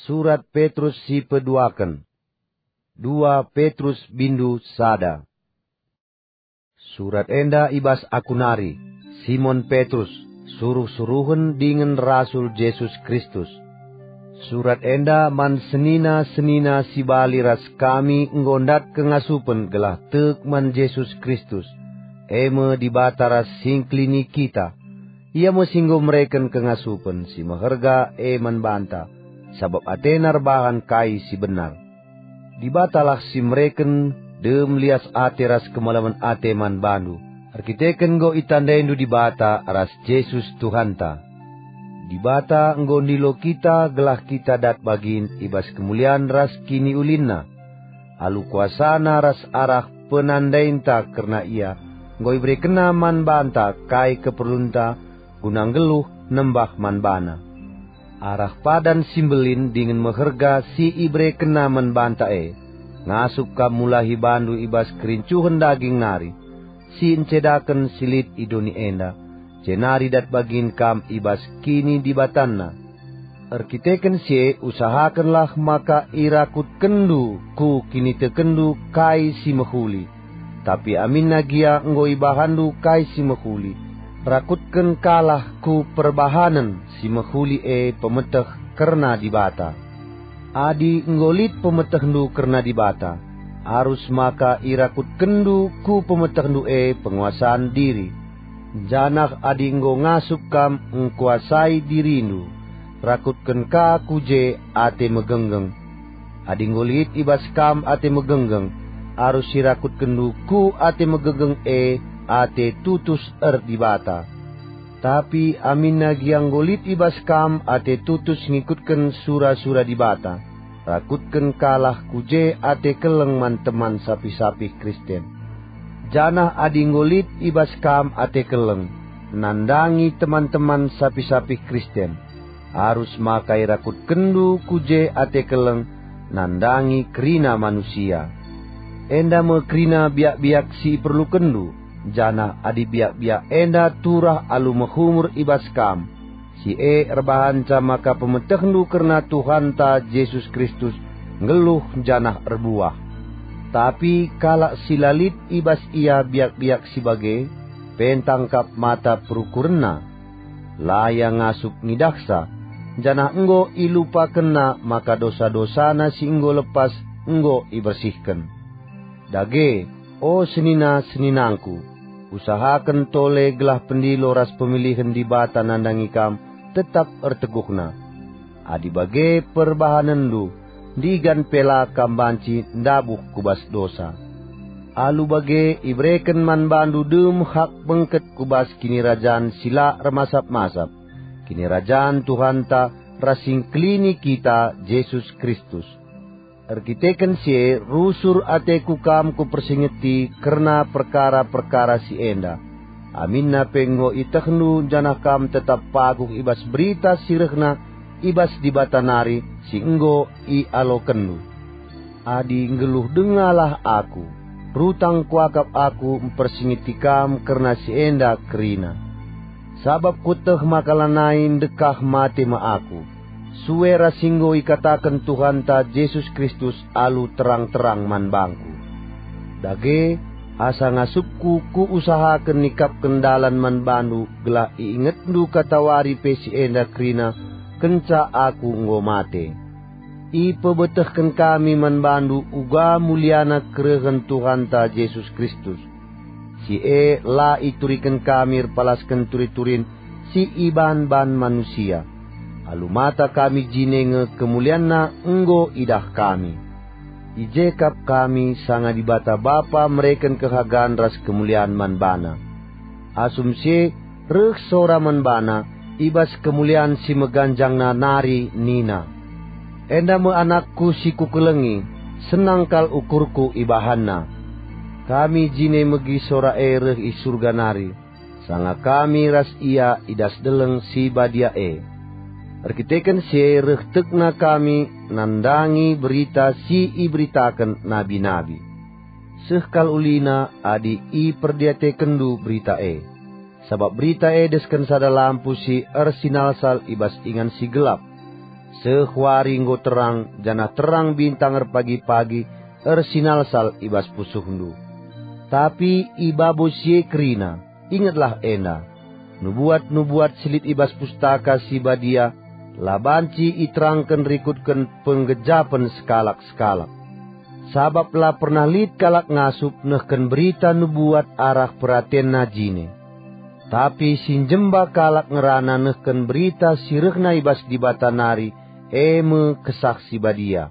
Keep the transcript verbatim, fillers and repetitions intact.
Surat Petrus si peduaken. Dua Petrus bindu sada. Surat enda i bas aku nari, Simon Petrus, suruh-suruhen dingen rasul Jesus Kristus. Surat enda man senina-senina si bali ras kami enggo ndat kengasupen gelah tek man Jesus Kristus, e me Dibata ras si ngkelini kita. Ia me si enggo mereken kengasupen si meherga e man banta, sabap atena erbahan kai si benar. Dibatalah si mereken dem lias ate ras kemalemen ate man bandu, erkiteken enggo itandaindu Dibata ras Jesus Tuhanta. Dibata enggo ndilo kita gelah kita dat bagin i bas kemulian ras kiniulinNa. Alu kuasaNa ras arah penandainta kerna Ia, enggo iberekenNa man banta kai keperlunta guna nggeluh nembah man baNa. Arah padan si mbelin dingen meherga si iberekenNa man banta e, ngasup kam mulahi bandu i bas kerincuhen daging nari, si ncedaken si lit i doni enda, jenari dat bagin kam i bas kinidibatanNa. Erkiteken si e usahakenlah maka irakutkenndu ku kinitekenndu kai si mehuli. Tapi aminna gia enggo ibahanndu kai si mehuli, rakutkenkalah ku perbahanen si mehuli e pemeteh kerna Dibata. Adi enggo lit pemetehndu kerna Dibata, arus maka irakutkenndu ku pemetehndu e penguasan diri. Janah adi enggo ngasup kam ngkuasai dirindu, rakutken ka ku je ate megenggeng. Adi enggo lit i bas kam ate megenggeng, arus irakutkenndu ku ate megenggeng e ate tutus erdibata. Tapi aminna gia enggo lit i bas kam ate tutus ngikutken sura-sura Dibata, rakutken kalah ku je ate keleng man teman sapih-sapih Kristen. Janah adi enggo lit i bas kam ate keleng, nandangi teman-teman sapih-sapih Kristen, arus maka irakutkenndu ku je ate keleng nandangi kerina manusia. Enda me kerina biak-biak si iperlukenndu, janah adi biak-biak enda turah alu mehumur i bas kam, si e erbahanca maka pemetehndu kerna Tuhanta Jesus Kristus nggeluh janah erbuah. Tapi kalak si la lit i bas ia biak-biak si bage, pentang kap mata perukurenna. La ia ngasup ngidahsa, janah enggo ilupakenna maka dosa-dosana si enggo lepas enggo ibersihken. Dage, o senina-seninangku, usahaken tole gelah pendilo ras pemilihen Dibata nandangi kam tetap erteguhna. Adi bage perbahanenndu, ndigan pe la kam banci ndabuh ku bas dosa. Alu bage ibereken man bandu dem hak bengket ku bas Kinirajan si la ermasap-masap, Kinirajan Tuhanta ras si Engkelini kita, Jesus Kristus. Erkiteken si e rusur ateku kam kupersingeti kerna perkara-perkara si enda. Aminna pe enggo ietehndu janah kam tetap paguh i bas berita si rehna i bas Dibata nari si enggo ialokenndu. Adi nggeluh dengalah aku, rutang kuakap aku mpersingeti kam kerna si enda kerina. Sabap kueteh maka lanai ndekah mate me aku, sue ras si enggo ikataken Tuhanta Jesus Kristus alu terang-terang man bangku. Dage, asa ngasupku kuusahaken nikapken dalan man bandu gelah iingetndu katawari pe si enda kerina kenca aku enggo mate. Ipebetehken kami man bandu uga muliana kerehen Tuhanta Jesus Kristus. Si e la ituriken kami erpalasken turi-turin si iban-ban manusia. Alu mata kami jine nge kemulianNa enggo idah kami. I je kap kami sanga Dibata Bapa mereken kehagan ras kemulian man baNa. Asum si e reh sora man baNa i bas kemulian si meganjangna nari nina, "Enda me AnakKu si Kukelengi, senang kal ukurKu ibahanNa." Kami jine megi sora e reh i Surga nari, sanga kami ras Ia i das deleng si badia e. Erkiteken si e reh tekna kami nandangi berita si iberitaken nabi-nabi. Seh kal ulina adi iperdiatekenndu berita e, sabap berita e desken sada lampu si ersinalsal i bas ingan si gelap. Seh wari enggo terang, janah terang bintang erpagi-pagi ersinalsal i bas pusuhndu. Tapi i babo si e kerina, ingetlah enda: Nubuat-nubuat si lit i bas Pustaka Si Badia la banci iterangken rikutken penggejapen sekalak-sekalak. Sabap la pernah lit kalak ngasup nehken berita nubuat arah peratenna jine. Tapi si njemba kalak ngerana nehken berita si rehna i bas Dibata nari, e me Kesah Si Badia.